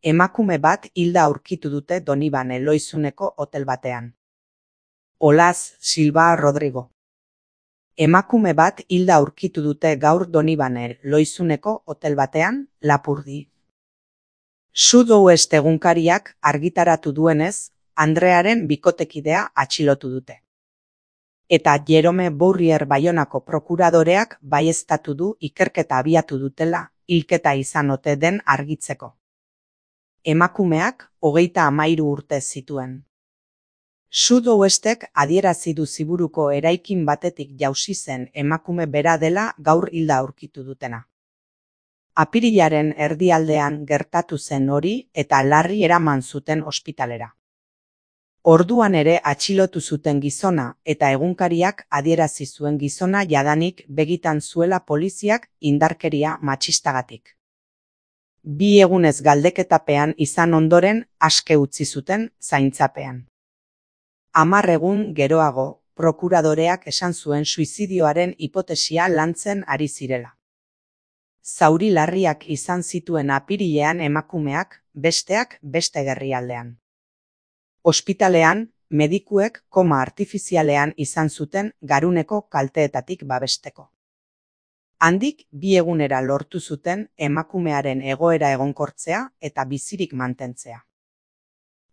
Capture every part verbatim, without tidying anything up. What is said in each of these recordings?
Emakume bat hilda aurkitu dute Donibane Lohizuneko hotel batean. Olaz Silva Rodrigo. Emakume bat hilda aurkitu dute gaur Donibane Lohizuneko hotel batean, Lapurdi. Southwest egunkariak argitaratu duenez, Andrearen bikotekidea atxilotu dute. Eta Jerome Bourrier Baionako prokuradoreak baieztatu du ikerketa abiatu dutela, hilketa izan ote den argitzeko. Emakumeak hogeita hamairu urte zituen. Southwestek adierazi du Ziburuko eraikin batetik jausi zen emakume bera dela gaur hilda aurkitu dutena. Apirilaren erdialdean gertatu zen hori eta larri eraman zuten ospitalera. Orduan ere atxilotu zuten gizona eta egunkariak adierazi zuen gizona jadanik begitan zuela poliziak indarkeria matxistagatik. Bi egunez galdeketapean izan ondoren aske utzi zuten zaintzapean. Hamar egun geroago, prokuradoreak esan zuen suizidioaren hipotesia lantzen ari zirela. Zauri larriak izan zituen apirilean emakumeak, besteak beste gerrialdean. Ospitalean, medikuek koma artifizialean izan zuten garuneko kalteetatik babesteko. Handik bi egunera lortu zuten emakumearen egoera egonkortzea eta bizirik mantentzea.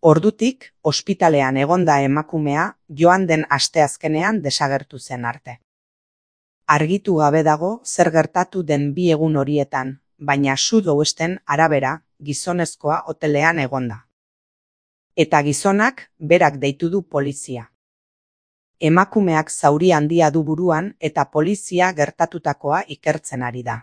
Ordutik, ospitalean egonda emakumea joan den asteazkenean desagertu zen arte. Argitu gabe dago zer gertatu den bi egun horietan, baina Southwesten arabera gizonezkoa hotelean egonda. Eta gizonak berak deitu du polizia. Emakumeak zauri handia du buruan eta polizia gertatutakoa ikertzen ari da.